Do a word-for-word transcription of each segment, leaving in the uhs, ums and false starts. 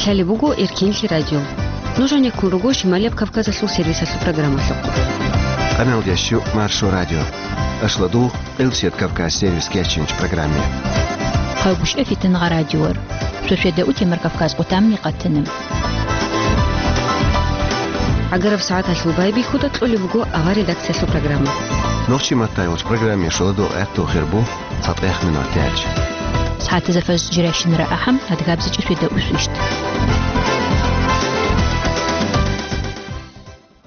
Лъалеб буго Эркенлъи радио. Нуж гьанеккун руго Шималияб Кавказалъул сервисалъул программалъухъ. Къаналдящу Маршо радио. Ашладу Къилсият Кавказ сервис кечинч программе. Хъавбушев Фитнагъа радиор. Сосведа утемар Кавказ къутамни къатана. Агараб сагӀаталъул байбихьуда кьолеб буго авар редакциялъул программа. Нохчи маттайолч программе шуладу гӀехту хирбу цатӀех минут тяч. СагӀатазда фаз жиращинара ахӀам, адгабзичӀо сосведа усвищ.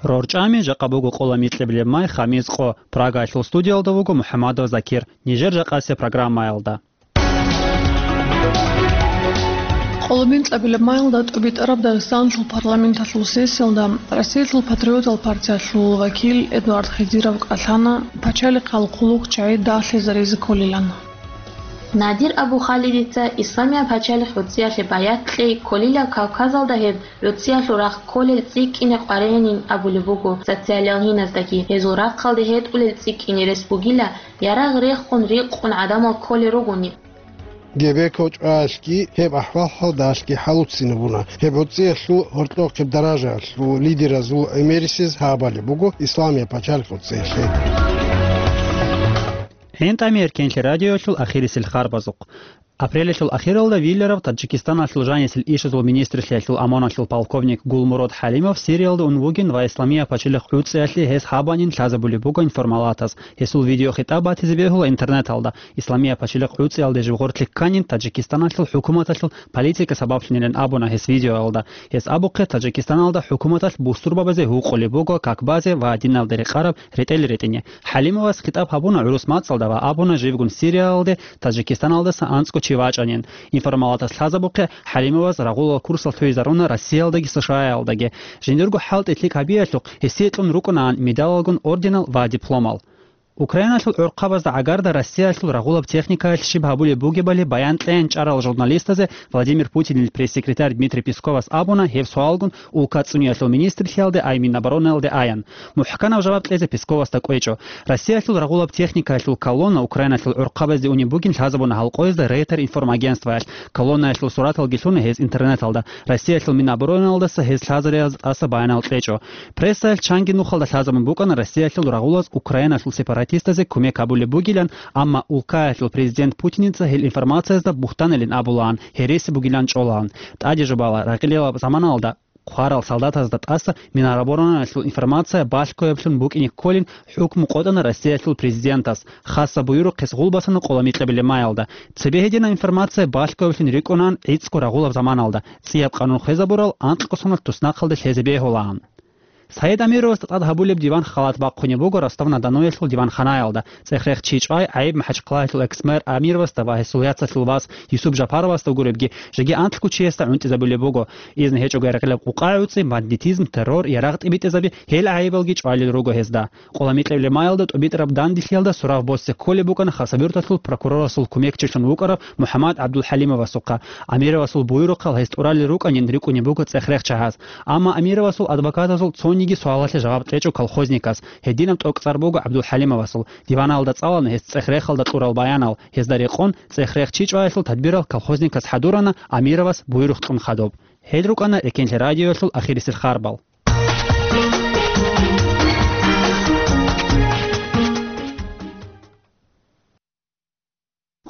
РорчӀами жакъа буго къола микьабилеб май, хамис къо. Прагаялъул студиялда вуго МухӀамадов Закир. Нижер жакъасеб программаялда. Къоло микьабилеб майялда тӀубитӀараб Дагъистаналъул парламенталъул сессиялда Россиялъул патриотал партиялъул вакил Эдуард Хизиров кӀалъана пачалихъал хъулухъчагӀи дагълъизаризе кколилан. Надир Абу-Халидица Исламияб пачалихъ гӀуцӀиялъе баят кьей кколила, Кавказалда гьеб гӀуцӀиялъул рахъ кколел цӀикӀкӀине къваригӀинин абулеб буго социалалгьиназдаги. Гьезул рахъалде гьетӀулел цӀикӀкӀине рес бугила ярагъ рехун рикъун гӀадамал кколел ругони. Гебе кочӀоялъги гьеб ахӀвал-хӀалдалъги хӀалуццинабуна. Гьеб гӀуцӀиялъул гьоркьохъеб даражаялъул лидеразул гӀемерисез гьабали буго Исламияб пачалихъ гӀуцӀиялъе. ГӀинтӀами Эркенлъи радиоялъул ахирисел харбазухъ. Апрелалъул ахиралда виларав Таджикистаналъул жанисел ишазул министрлъиялъул ОМОНалъул полковник Гулмурод ХӀалимов Сириялда ун вугин ва Исламияб пачалихъ гӀуцӀиялъе гьес гьабанин лъазабулеб буго информалатаз. Гьесул видеохитӀаб батизе бегьула интернеталда. Исламияб пачалихъ гӀуцӀиялде жив гъорлъе кканин Таджикистаналъул хӀукуматалъул политика сабаблъунилан абуна гьес видеоялда. Гьес абухъе, Таджикистаналда хӀукуматалъ бусурбабазе гьукъулеб буго как базе ва диналде рекъараб ретӀел ретӀине. ХӀалимовас хитӀаб гьабуна гӀурус мацӀалда ва абуна живгун Сириялде Таджикистаналдаса анцӀго чи вачӀанин. Информалатас лъазабухъе, ХӀалимовас рагъулал курсал лъугьизаруна Россиялдаги США-ялдаги. Жиндирго хӀалтӀи лъикӀ гьабиялъухъ гьесие кьун рукӀунаан медалалгун орденал ва дипломал. Украиналъул гӀурхъабазда гӀагарда Россиялъул рагъулаб техникаялъ щиб гьабулеб бугебали баян кьеян чӀарал журналистазе Владимир Путинил пресс-секретарь Дмитрий Песковас абуна гьеб суалгун улка цӀуниялъул министрлъиялде ай Миноборонаялде аян. МухӀканаб жаваб кьезе Песковасда кӀвечӀо. Россиялъул рагъулаб техникаялъул колонна Украиналъул гӀурхъабазде унеб бугин лъазабуна гьал къоязда Рейтер информагентствоялъ. Колоннаялъул сураталги лъуна гьез интернеталда. Россиялъул Миноборонаялдаса гьез лъазариялда тӀаса баянал кьечӀо. Прессаялъ чанги нухалда лъазабун букӀана Россиялъул рагъулаз Украиналъул сепаратистазе кумек гьабулеб бугилан, амма улкаялъул президент Путиница гьел информациязда бугьтаналин абулаан, гьереси бугилан чӀолаан. ТӀаде жубала, ракъилилаб заманалда хъварал солдатазда тӀаса Миноборонаялъул информация балъгояблъун букӀине кколин хӀукму къотӀана Россиялъул президентас. Хасаб буюрухъ гьес гъулбасана къола микьабилеб майялда. Цебе гьединаб информация балъгояблъун рикӀкӀунаан гӀицӀго рагъулаб заманалда, цӀияб къанун хвезабурал анкьго соналъ туснахъалде лъезе бегьулаан. Саид Амировасда тӀад гьабулеб диван халат бахъунеб буго Ростов-на-Доноялъул диванханаялда. ЦӀех-рех чи чӀвай гӀайиб МахӀачхъалаялъул экс-мэр Амировасда ва гьесул яцалъул вас Юсуп Жапаровасда гуребги, жеги анкьго чиясда гӀунтӀизабулеб буго. Изну гьечӀого рекъелаб къукъа гӀуцӀи, бандитизм, террор, ярагъ тӀибитӀизаби, гьел гӀайибалги чӀвалел руго гьезда. Къола микьабилеб майялда тӀубитӀараб данделъиялда сурав босизе кколеб букӀана Хасавюрталъул прокурорасул кумекчилъун вукӀарав МухӀаммад ГӀабдулхӀалимовасухъа. Амировасул буюрухъал гьес тӀуралел рукӀанин рикӀкӀунеб буго цӀех-рех чагьаз. Амма Амировасул адвокатазул цониги суалалъе жаваб кьечӀо колхозникас. Гьединаб тӀокӀцӀар буго ГӀабдулхӀалимовасул. Диваналда цӀалана гьес цӀех-рехалда кьурал баянал. Гьезда рекъон, цӀех-рех чи чӀваялъул тадбирал колхозникас хӀадурана, Амировас буюрухъ кьун хадуб. Гьел рукӀана Эркенлъи радиоялъул ахирисел харбал.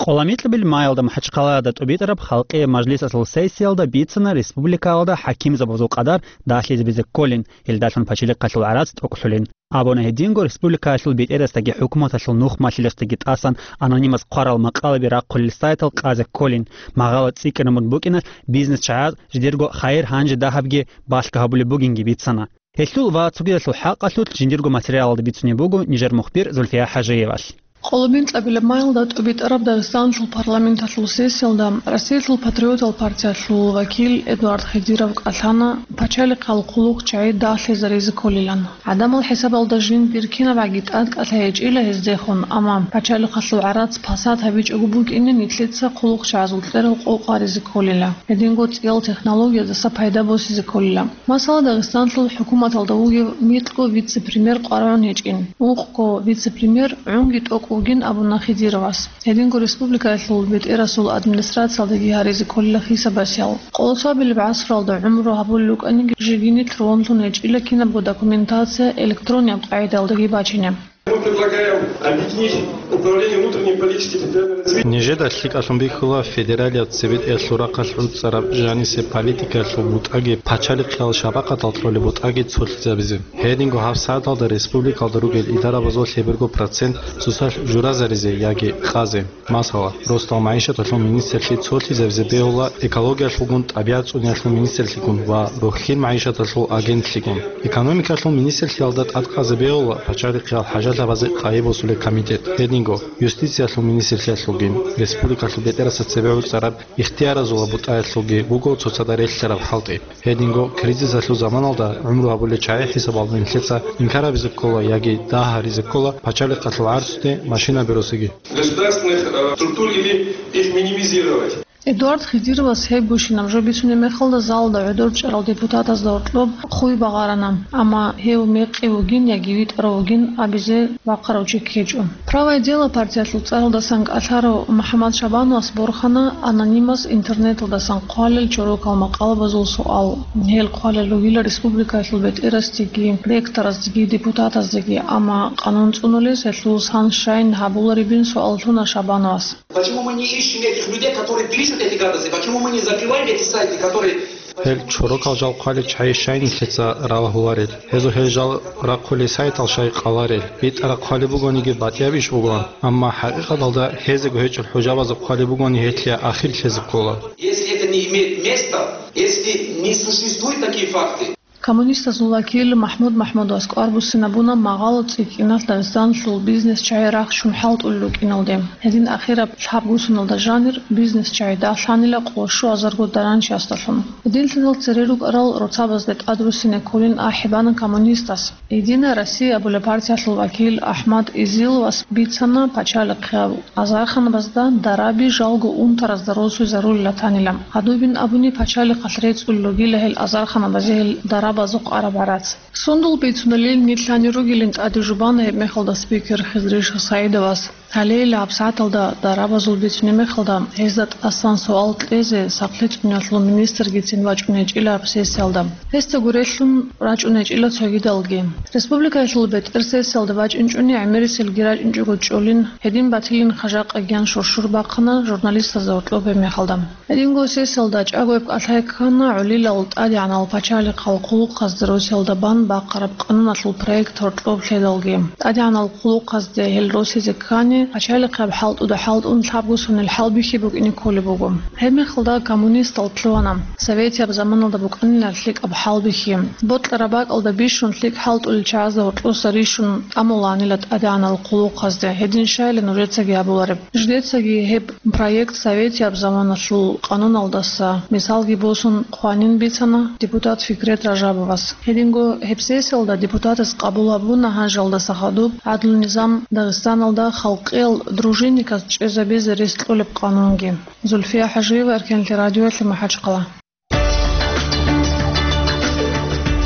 Къола микьабилеб майялда МахӀачхъалаялда тӀубитӀараб Халкъияб мажлисалъул сессиялда бицана республикаялда хӀакимзабазул къадар дагьлъизабизе кколин, гьелдалъун пачалихъалъул гӀарац тӀокӀлъулин. Абуна гьединго республикаялъул бетӀерасдаги хӀукуматалъул нух малъиласдаги тӀасан анонимас хъварал макъалаби рахъулел сайтал къазе кколин, магъала цӀикӀкӀинабун букӀиналъ бизнес чагӀаз жидерго хайир гьанже дагьабги балъго гьабулеб бугинги бицана. Гьелъул ва цогидалъул хӀакъалъулъ жиндирго материалалда бицунеб буго нижер мухбир Зульфия ХӀажиевалъ. Къоло микьабилеб майялда тӀубитӀараб Дагъистаналъул парламенталъул сессиялда Россиялъул патриотал партиялъул вакил Эдуард Хизиров кӀалъана пачалихъал хъулухъчагӀи дагълъизаризе кколилан. ГӀадамал хӀисабалда жиндир кинабгӀаги тӀадкӀалъи гьечӀила гьездехун, амма пачалихъалъул гӀарац пасат гьабичӀого букӀине нилъеца хъулухъчагӀазул кьерал къо къваризе кколила, гьединго цӀиял технологиядаса пайда босизе кколила. Масала, Дагъистанлъул хӀукуматалда вугев микьго вице-премьер къваригӀун гьечӀин, ункъго вице-премьер гӀунги тӀокӀ вугин абуна Хидировас. Гьединго республикаялъул бетӀерасул администрациялдаги гьаризе кколила хисабасиял. Къолосабилеб гӀасралда гӀумру гьабулел рукӀаниги жеги нилъ ругьунлъун гьечӀила кинабго документация электроннияб къагӀидаялдаги бачине. Мы предлагаем объединить управление внутренней политики и территориального развития. Нижеда лъикӀалъун бихьула федералияб цебетӀералъул рахъалъ гӀуцӀараб жанисеб политикаялъул бутӀаги пачалихъиял шапакъатал кьолеб бутӀаги цолъизабизе. Гьединго гьабсагӀаталда республикалда ругел идарабазул лъеберго процент цоцалъ журазаризе яги къазе. Масала, росдал магӀишаталъул министрлъи цолъизабизе бегьула экологиялъулгун, тӀабигӀат цӀуниялъул министрлъигун ва рухӀлъи магӀишаталъул агентлъигун. Экономикалъул министрлъиялда тӀадкъазе бегьула пачалихъиял хӀажалъабазе къайи босулеб комитет, гьединго юстициялъул министрлъиялъулгин, республикалъул бетӀерасда цебе гӀуцӀараб ихтияразул бутӀаялъулги буго цоцазда релълъараб хӀалтӀи. Гьединго кризисалъул заманалда гӀумру гьабулел чагӀи хӀисабалда нилъеца инкарабизе ккола яги дагь гьаризе ккола пачалихъалъул гӀарцуде машинаби росиги. Государственных, э, структур или их минимизировать. Эдуард Хидировас гьеб гущинаб жо бицунеб мехалда залалда гӀодор чӀарал депутатазда гьоркьоб хъуй багъарана, амма гьев мекъи вугин яги витӀарав вугин абизе вахъарав чи ккечӀо. «Правое дело» партиялъул цӀаралдасан кӀалъарав МухӀаммад Шабановас борхана анонимас интернеталдасан хъвалел чорокал макъалабазул суал. Гьел хъвалел ругила республикаялъул бетӀерасдеги, ректораздеги, депутатаздеги, амма къанун цӀунулес гьелъул сан-щайн гьабуларебин суал лъуна Шабановас. Почему мы не ищем этих людей, которые пишут эти гадости? Почему мы не закрываем эти сайты, которые... Гьел чорокал жал хъвалел чагӀи щай нилъеца ралагьуларел? Гьезул гьел жал рахъулел сайтал щай къаларел? БитӀараб хъвалеб бугониги батӀияб иш бугоан, амма хӀакъикъаталда гьезего гьечӀел хӀужабазул хъвалеб бугони гьелъие ахир лъезе ккола. Если это не имеет места, если не существуют такие факты, Коммунистазул вакил МахӀмуд МахӀмудовас кӀвар буссинабуна магъало цӀикӀкӀиналъ Дагъистаналъул бизнес-чагӀи рахчун хӀалтӀулел рукӀиналде. Гьедин ахираб лъабгусуналда жанир бизнес-чагӀи дагьлъанила къо щуазарго даранчиясдалъун. Гьединлъидал цере рукӀарал роцабазде тӀадруссине кколин ахӀи бана коммунистас. «Единая Россия» абулеб партиялъул вакил АхӀмад Изиловас бицана пачалихъияб азарханабазда дараби жалго унтаразда росуйзарулила танила. Гьадубин абуни, пачалихъалъ рецӀулел ругила гьел азарханабазе гьел дарабазухъ араб гӀарац. Сундул бицуналил нилъ лъани ругилин тӀаде жубана гьеб мехалда спикер Хизриш СагӀидовас. Гьалейила гьабсагӀаталда дарабазул бицунеб мехалда, гьезда тӀасан суал кьезе сахлъи цӀуниялъул министргицин вачӀунечӀила гьаб сессиялда. Гьесда гурелъун рачӀунечӀила цогидалги. Республикаялъул бетӀер сессиялда бачӀинчӀони гӀемерисел ги рачӀинчӀого чӀолин, гьедин батилин хажакъа гьан шуршур бахъана журналистазда гьоркьоб гьеб мехалда. Гьединго сессиялда чӀаго гьеб кӀалъай ккана гӀолилал тӀадегӀанал пачалихъал хъулухъазда росиялда бан бахъараб къануналъул проект гьоркьоб лъедалги. ТӀадегӀанал хъулухъазде гьел росизе ккани, пачалихъияб хӀалтӀуда хӀалтӀун лъабго сонил хӀалбихьи букӀине кколеб буго. Гьеб мехалда коммунистал лъугьана, советияб заманалда букӀанила лъикӀаб хӀалбихьи. Бокьараб бакӀалда бищун лъикӀ хӀалтӀулел чагӀазда гьоркьоса рищун тӀамуланила тӀадегӀанал хъулухъазде, гьедин щайила нужецаги гьабулареб. Жидецаги гьеб проект советияб заманалъул къануналдаса мисалги босун хъванин бицана депутат Фикрет Ражабовас. Гьединго гьеб сессиялда депутатас къабул гьабуна гьанжалдаса хадуб гӀадлу-низам Дагъистаналда халкъиял дружинниказ чӀезабизе рес кьолеб къанунги. Зульфия ХӀажиева, Эркенлъи радиоялъе, МахӀачхъала.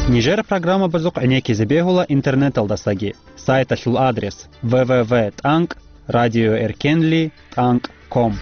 Нижер программабазухъ гӀенеккизе бегьула интернеталдасаги. Сайталъул адрес: в в в тӀанкӀ радиоэркенли тӀанкӀ ком.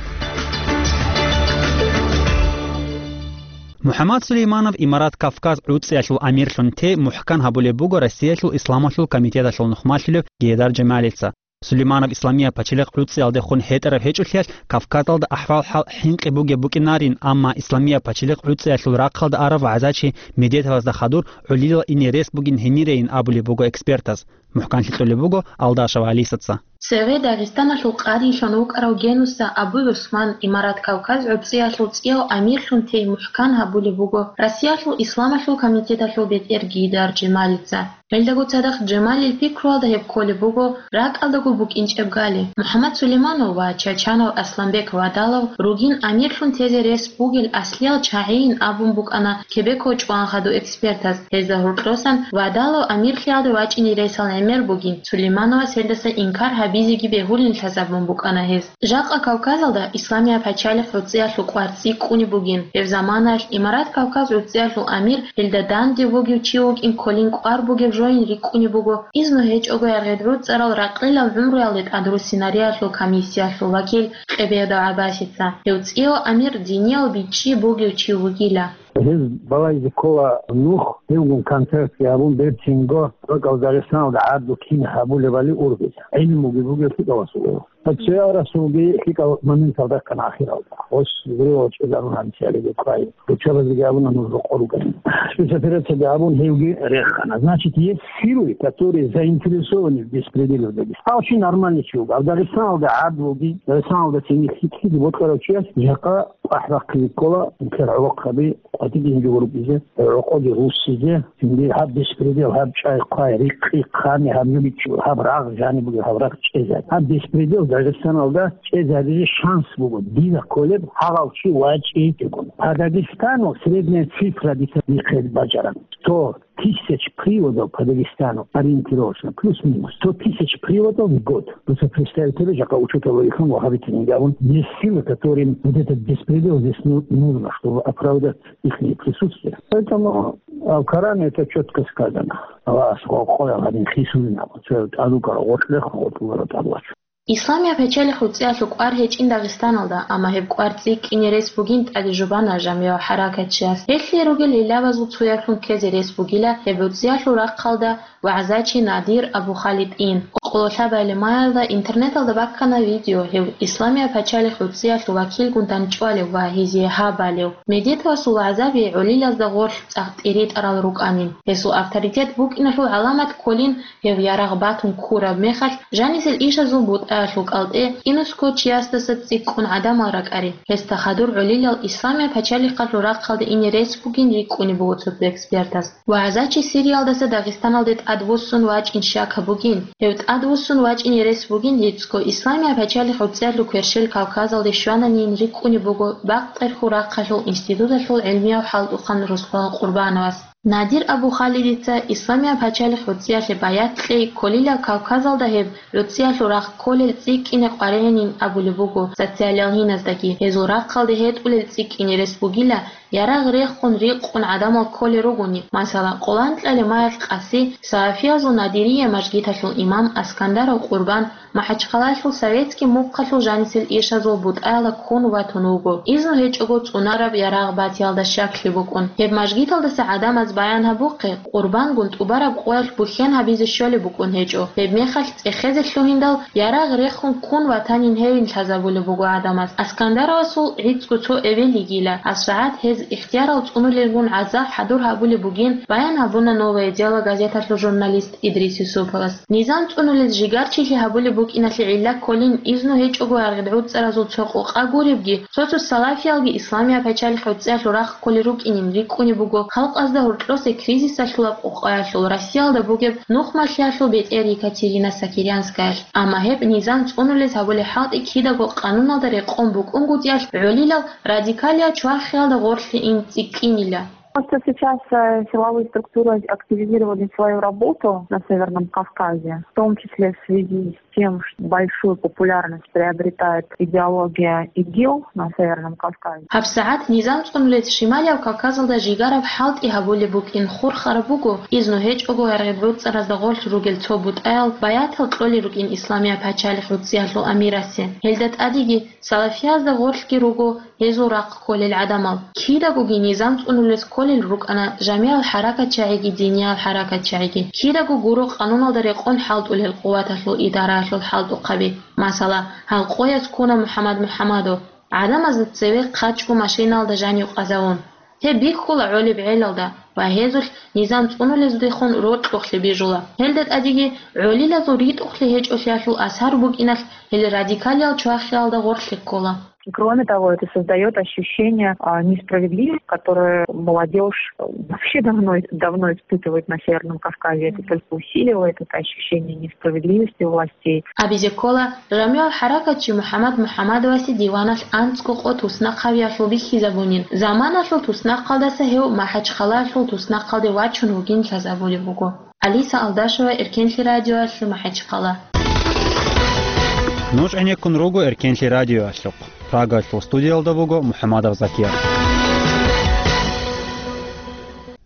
МухӀаммад Сулейманов Имарат Кавказ гӀуцӀиялъул амирлъун тей мухӀкан гьабулеб буго Россиялъул исламалъул комитеталъул нухмалъулев Гейдар Жамалица. Сулейманов Исламияб пачалихъ гӀуцӀиялдехун хӀетӀараб гьечӀолъиялъ, Кавказалда ахӀвал-хӀал хӀинкъи бугеб букӀинарин, амма Исламияб пачалихъ гӀуцӀиялъул рахъалда арав вагӀзачи Медетовазда хадур гӀолилал ине рес бугин гьимирейин абулеб буго экспертаз. МухӀканлъи кьолеб буго Алдашев Алисаца. Цеве Дагъистаналъул къадилъун вукӀарав Генуса Абу-ГӀусман Имарат Кавказ гӀуцӀиялъул цӀияв амирлъун тей мухӀкан гьабулеб буго Россиялъул исламалъул комитеталъул бетӀер Гейдар Жамалица. Гьелдаго цадахъ Жамалил пикруялда гьеб кколеб буго ракӀалдаго букӀинчӀеб гали. МухӀаммад Сулейманов ва Чачанов Асланбек Вадалов ругин амирлъун тезе рес бугел аслиял чагӀийин абун букӀана Кебеко чӀван хадув экспертаз. Гьезда гьоркьосан Вадалов амирлъиялде вачӀине ресал мер бугин, Сулеймановас гьелдаса инкар гьабизеги бегьулин лъазабун букӀана гьез. Жакъа Кавказалда Исламияб пачалихъ гӀуцӀиялъул кӀвар цӀикӀкӀунеб бугин. Гьеб заманалъ Имарат Кавказ гӀуцӀиялъул амир гьелда данде вугев чи вукӀин кколин кӀвар бугеб жоян рикӀкӀунеб буго, изну гьечӀого гӀергъи гӀуцӀарал ракълилал гӀумруялде тӀадруссинариялъул комиссиялъул вакил Къебедов ГӀаббасица. Гьев цӀияв амир диниял бичӀчӀи бугев чи вугила. Гьез балайзе ккола нух, гьевгун концертги гьабун, берцинго ракӀал Дагъистаналда гӀадлу кин гьабулебали ургъизе. ГӀилмуги бугев лъикӀав расулав. Гьеб цоял расулги лъикӀал моменталда ккана ахиралда. Гъос гуревал чӀезарун гьанцӀиялиги кквай. Руччабазеги абуна нуж рокъор ругани. Спецоперацияги гьабун, гьевги рехана. Значит, есть силы, которые заинтересованы в беспределе в Дагестане. Гьав чи нормальный чи вуго. Гьав Дагъистаналда гӀадлуги, Дагъистаналда цинги лъикӀлъиги бокьарав чияс жакъа ПахӀ бахъизе ккола, нилъер гӀолохъаби къватӀиб жинги гьурбизе, гӀокъоги руссизе, цинги гьаб беспредел, гьаб чӀай-хъвай, рикъи, хъани, гьаб жо бичӀчӀу, гьаб рагъ, жаниб бугеб гьаб рагъ чӀезаби. Гьаб беспредел Дагъистаналда чӀезабизе шанс буго, дида кколеб гьагъав чи вачӀичӀого. По Дагестану средняя цифра дица бихъе бажараб. Сто тысяч приводов по Дагестану ориентировочно, плюс-минус сто тысяч приводов в год. Дуца представить гьабе, жакъа учёталда ихъан ва гьабитинги абун, есть силы, которым вот этот беспредел здесь ну-, нужно, чтобы оправдать ихнее присутствие. Поэтому в Коране это чётко сказано. Аллагьас къо-, къоял гьадин хисулин абун, цо тӀадуккарав гъоркь рехун, гъоркь ругел тӀад вачун. Исламияб пачалихъ гӀуцӀиялъул кӀвар гьечӀин Дагъистаналда, амма гьеб кӀвар цӀикӀкӀине рес бугин тӀаде жубана жамигӀав хӀаракатчияс. Гьелъие ругел гӀиллабазул цояблъун ккезе рес бугила гьеб гӀуцӀиялъул рахъалда вагӀзачи Надир Абу-Халидин. Къоло лъабалеб маялда интернеталда баккана видео, гьев Исламияб пачалихъ гӀуцӀиялъул вакилгун дандчӀвалев ва гьезие гьаб балев. Медетавасул вагӀзаби гӀолилазда гъорлъ цӀакъ тӀиритӀарал рукӀанин. Гьесул авторитет букӀиналъул гӀаламат кколин гьев ярагъ батун ккураб мехалъ, жанисел ишазул бутӀаялъул кӀалтӀе кӀинусго чиясдаса цӀикӀкӀун гӀадамал ракӀарин. Гьесда хадур гӀолилал Исламияб пачалихъалъул рахъалде ине рес бугин рикӀкӀунеб буго цо-цо экспертаз. ВагӀзачи Сириялдаса Дагъистаналде тӀадвуссун вачӀин щакаб бугин. Гьев тӀадвуссун вачӀине рес бугин гьецӀго Исламияб пачалихъ гӀуцӀиялъул кверщел Кавказалде щвананин рикӀкӀунеб буго Бакъерхьул рахъалъул институталъул гӀилмияв хӀалтӀухъан Руслан Къурбановас. Надир Абу-Халидица Исламияб пачалихъ гӀуцӀиялъе баят кьей кколила Кавказалда гьеб гӀуцӀиялъул рахъ кколел цӀикӀкӀине къваригӀинин абулеб буго социалалгьиназдаги. Гьезул рахъалде гьетӀулел цӀикӀкӀине рес бугила ярагъ рехун рикъун гӀадамал кколел ругони, масала, къоланкьалеб маялъ къаси салафиязул Надирия мажгиталъул имам Аскандаров Къурбан, МахӀачхъалаялъул советский мухъалъул жанисел ишазул бутӀаялда ккун ватун вуго, изну гьечӀого цӀунараб ярагъ батиялда щаклъи букӀун. Гьеб мажгиталдаса гӀадамаз баян гьабухъе, Къурбангун тӀубараб къоялъ бухьен гьабизе щолеб букӀун гьечӀо. Гьеб мехалъ цӀехезе лъугьиндал ярагъ рехун ккун ватанин гьевин лъазабулеб буго гӀадамаз. Аскандаровасул гӀицӀго цо эбел йигила, гьабсагӀат гьез ихтиярал цӀунулелгун гӀазаб хӀадур гьабулеб бугин, баян гьабуна «Новое дело» газеталъул журналист Идрис Юсуповас. Низам цӀунулез жигарчилъи гьабулеб букӀиналъе гӀилла кколин изну гьечӀого гӀергъи гӀуцӀаразул цо къокъа гуребги, цо-цо салафиялги Исламияб пачалихъ гӀуцӀиялъул рахъ кколел рукӀинин рикӀкӀунеб буго халкъазда гьоркьосе кризисалъулаб къокъаялъул, Россиялда бугеб нухмалъиялъул бетӀер Екатерина Сокирянскаялъ. Амма гьеб низам цӀунулез гьабулеб хӀалтӀи кидаго къануналда рекъон букӀунгутӀиялъ гӀолилал радикалиял чвахиялда гъорлъе ин цӀикӀкӀинила. Просто сейчас, э, силовые структуры активизировали свою работу на Северном Кавказе, в том числе в связи с тем, что большую популярность приобретает идеология ИГИЛ на Северном Кавказе. ГьабсагӀат низам цӀунулез Шималияв Кавказалда жигараб хӀалтӀи гьабулеб букӀин хурхараб буго, изну гьечӀого гӀергъи гӀуцӀаразда гъорлъ ругел цо бутӀаял баятал кьолел рукӀин Исламияб пачалихъ гӀуцӀиялъул амирасе. Гьелда тӀадеги салафиязда гъорлъги руго гьезул рахъ кколел гӀадамал. Кидагоги низам цӀунулес кколел рукӀана жамигӀал хӀаракатчагӀиги диниял хӀаракатчагӀиги. Кидаго гуро къануналда рекъон хӀалтӀулел къуваталъул идараялъул хӀалтӀухъаби. Масала, гьал къояз ккуна МухӀаммад МухӀаммадов, гӀадамазда цеве хъачӀго машиналда жанив къазавун. Гьеб бихьула гӀолеб гӀелалда ва гьезулъ низам цӀунулездехун рокьухълъи бижула. Гьелда тӀадеги гӀолилазул ритӀухълъи гьечӀолъиялъул асар букӀиналъ гьел радикалиял чвахиялда гъорлъе ккола. Кроме того, это создаёт ощущение, а, несправедливости, которое молодёжь, э, вообще давно, давно испытывает на Северном Кавказе. Это только усиливает это ощущение несправедливости властей. Абизе ккола, жамигӀал хӀаракатчи МухӀаммад МухӀаммадовасе диваналъ анцӀго къо туснахъ гьавиялъул бихьизабунин, заманалъул туснахъалдаса гьев МахӀачхъалаялъул туснахъалде вачун вугин лъазабулеб буго. Алиса Алдашева, Эркенлъи радиоялъул МахӀачхъала. Нуж гӀенеккун руго Эркенлъи радиоялъухъ. Прагаялъул студиялда буго МухӀаммадов Закир.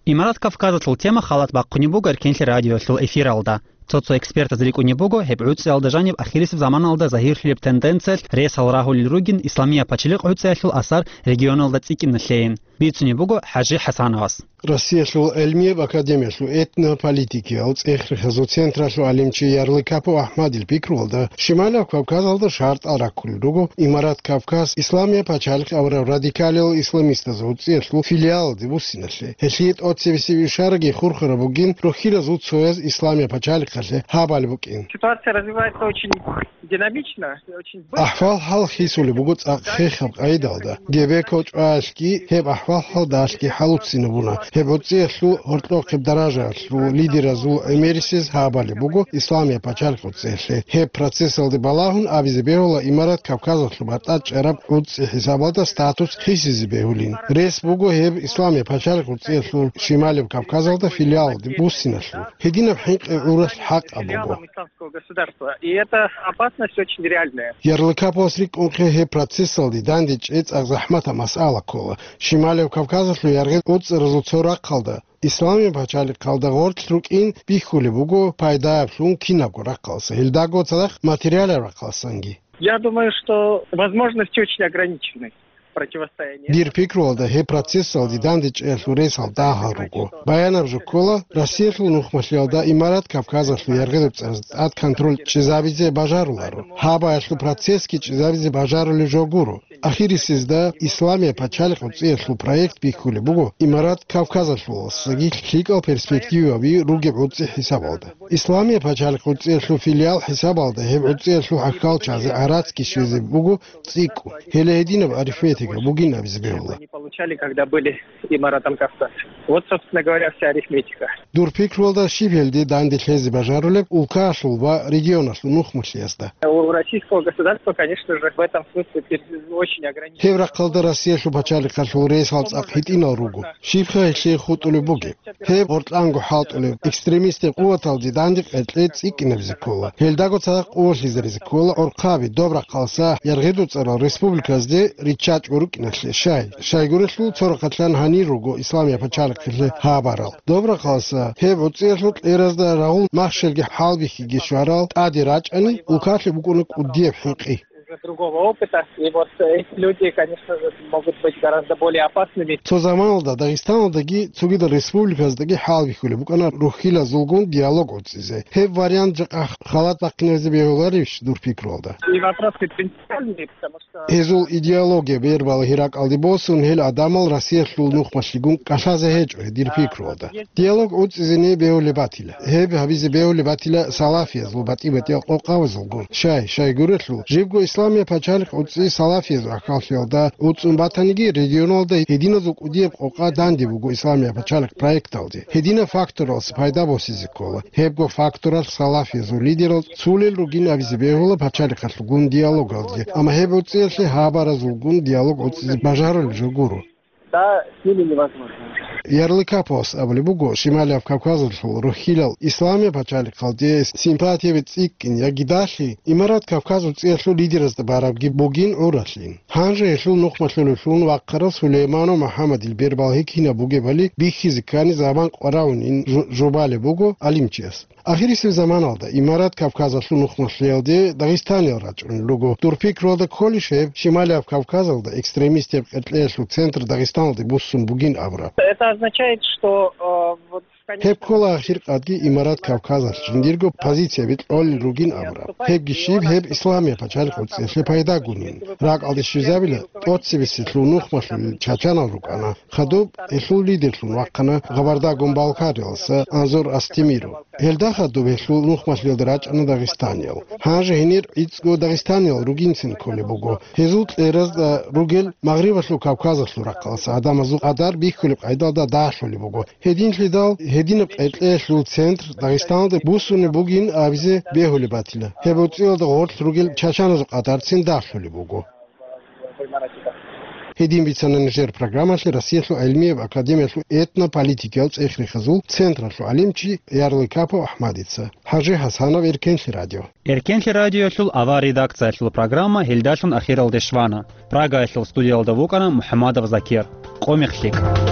Имарат Кавказалъул тема халат бахъунеб буго Эркенлъи радиоялъул эфиралда. Цо-цо экспертаз рикӀкӀунеб буго гьеб гӀуцӀиялда жаниб ахирисеб заманалда загьирлъулеб тенденциялъ ресал рагьулел ругин исламияб пачалихъ гӀуцӀиялъул асар регионалда цӀикӀкӀиналъейин. Бицунеб буго ХӀажи ХӀасановас. Россиялъул гӀелмияб академиялъул этнополитикиял цӀех-рехазул централъул гӀалимчи Ярлыкапов АхӀмадил пикруялда, Шималияб Кавказалда шартӀал раккулел руго Имарат Кавказ Исламияб пачалихъ абураб радикалиял исламистазул гӀуцӀиялъул филиалалде буссиналъе. Гьелъие тӀоцебесеб ишараги хурхараб бугин рохьилазул цояз Исламияб пачалихъалъе гьабали букӀин. Ситуация развивается очень динамично, очень быстро. АхӀвал-хӀал хисулеб буго цӀакъ хехаб къайдалда. Гебеков чӀваялъги гьеб ахӀвал-хӀалдалъги хӀалуццинабуна. Гьеб гӀуцӀиялъул гьоркьохъеб даражаялъул лидеразул гӀемерисез гьабали буго Исламияб пачалихъ гӀуцӀиялъе. Гьеб процессалде балагьун абизе бегьула Имарат Кавказалъул батӀа чӀараб гӀуцӀи хӀисабалда статус хисизе бегьулин. Рес буго гьеб Исламияб пачалихъ гӀуцӀиялъул Шималияб Кавказалда филиалалде буссиналъул. Гьединаб хӀинкъи гӀуралъ хӀакъаб буго. Государства. И эта опасность очень реальная. Ярлыкаповас рикӀкӀунхъе гьеб процессалде дандечӀей цӀакъ захӀматаб масъала ккола. Шималияб Кавказалъул яргъи гӀуцӀаразул цо рахъалда, Исламияб пачалихъалда гъорлъ рукӀин бихьулеб буго пайдаялъун кинабго рахъалса, гьелдаго цадахъ материалаб рахъалсанги. Я думаю, что возможности очень ограничены. Противостояние. Дир пикруялда, гьеб процессалде дандечӀеялъул ресал дагьал руго. Баянаб жо ккола, Россиялъул нухмалъиялда Имарат Кавказалъул яргъи-ручӀаз тӀад контроль чӀезабизе бажаруларо. Гьабаялъул процессги чӀезабизе бажарулеб жо гуро. Ахирисезда Исламияб пачалихъ гӀуцӀиялъул проект бихьулеб буго Имарат Кавказалъуласаги лъикӀал перспективаби ругеб гӀуцӀи хӀисабалда. Исламияб пачалихъ гӀуцӀиялъул филиал хӀисабалда гьеб гӀуцӀиялъул хӀакъалчазе гӀарацги щвезе буго цӀикӀкӀун. Гьеле гьединаб арифметика бугин абизе бегьула. Они получали, когда были Имаратом Кавказ. Вот, собственно говоря, вся арифметика. Дур пикруялда щиб гьелде данде лъезе бажарулеб улкаялъул ва регионалъул нухмалъиязда? У российского государства, конечно же, в этом смысле пер-, очень ограничено. Гьеб рахъалда Россиялъул пачалихъалъул ресал цӀакъ гьитӀинал руго. Щибха гьелъие хутӀулеб бугеб? Гьеб гъоркьанго хӀалтӀулеб, экстремистаб къуваталде данде къеркьей цӀикӀкӀинабизе ккола. Гьелдаго цадахъ къувалъизаризе ккола гӀорхъаби, доб рахъалса яргъи-ручӀарал республиказде риччачӀого рукӀиналъе. Щай? Щайгурелъул цо рахъалъан гьанир руго Исламияб пачалихъалъе гьабарал. Доб рахъалса гьеб гӀуцӀиялъул кьеразда рагъул махщелги хӀалбихьиги щварал тӀаде рачӀани, улкалъе букӀуна кӀудияб хӀинкъи. Уже другого опыта. И вот эти люди, конечно же, могут быть гораздо более опасными. Цо заманалда Дагъистаналдаги цогидал республиказдаги хӀалбихьулеб букӀана рухьилазулгун диалог гӀуцӀизе. Гьеб вариант жакъа халат бахъинабизе бегьуларищ дур пикруялда? И вопросы принципиальные, потому что... Гьезул идеология бербала ракӀалде босун, гьел гӀадамал Россиялъул нухмалъигун кӀалъазе гьечӀо гьедир пикруялда. Диалог гӀуцӀизеги бегьулеб батила. Гьеб гьабизе бегьулеб батила салафиязул батӀи-батӀиял къокъабазулгун. Щай, щайгурелъул, жибго Исламияб пачалихъ гӀуцӀи салафиязул ахӀваллъиялда гӀуцӀун батаниги, регионалда гьединазул кӀудияб къокъа данде буго Исламияб пачалихъ проекталде. Гьединаб факторалъ пайда босизе ккола. Гьебго факторалъ салафиязул лидерал цулел ругин абизе бегьула пачалихъалъулгун диалогалде, амма гьеб гӀуцӀиялъе гьабаразулгун диалог гӀуцӀизе бажарулеб жо гуро. Да, с ними невозможно. Ярлыкаповас абулеб буго, Шималияб Кавказалъул рухьилал Исламияб пачалихъалде симпатияби цӀикӀкӀин яги далъи, Имарат Кавказ гӀуцӀиялъул лидеразда барабги бугин гӀуралъин. Гьанже гьелъул нухмалъулевлъун вахъарав Сулейманов МухӀаммадил бербалги кинаб бугебали бихьизе ккани заман къваравунин жо-, жубалеб буго гӀалимчияс. Ахирисеб заманалда Имарат Кавказалъул нухмалъиялде дагъистаниял рачӀунел руго. Дур пикруялда кколищ гьеб, Шималияб Кавказалда экстремистияб къеркьеялъул центр Дагъистаналде буссун бугин абураб? Это означает, что, э, вот в конечном... Гьеб ккола ахиркъадги Имарат Кавказалъ жиндирго позицияби кьолел ругин абураб. Гьебги щиб, гьеб Исламияб пачалихъ гӀуцӀиялъе пайдагунин. РакӀалде щвезабила, тӀоцебесеб нухмалъулел чачанал рукӀана. Хадуб гьелъул лидерлъун вахъана Гъабардагун Балкариялдаса Анзор Астемиров. Гьелда хадуб гьелъул нухмалъиялда рачӀана дагъистаниял. Гьанже гьенир гӀицӀго дагъистаниял ругинцин кколеб буго. Гьезул кьеразда ругел Магърибалъул Кавказалъул рахъалдаса гӀадамазул къадар бихьулеб къайдалда дагьлъулеб буго. Гьединлъидал гьединаб къеркьеялъул центр Дагъистаналде буссунеб бугин абизе бегьулеб батила. Гьеб гӀуцӀиялда гъорлъ ругел чачаназул къадарцин дагьлъулеб буго. Гьедин бицана нижер программалъе Россиялъул гӀилмияб академиялъул этнополитикиял цӀех-рехазул централъул гӀалимчи Ярлыкапов АхӀмадица. ХӀажи ХӀасанов, Эркенлъи радио. Эркенлъи радиоялъул авар редакциялъул программа гьелдалъун ахиралде щвана. Прагаялъул студиялда вукӀана МухӀаммадов Закир. Къо-, мех лъикӀ.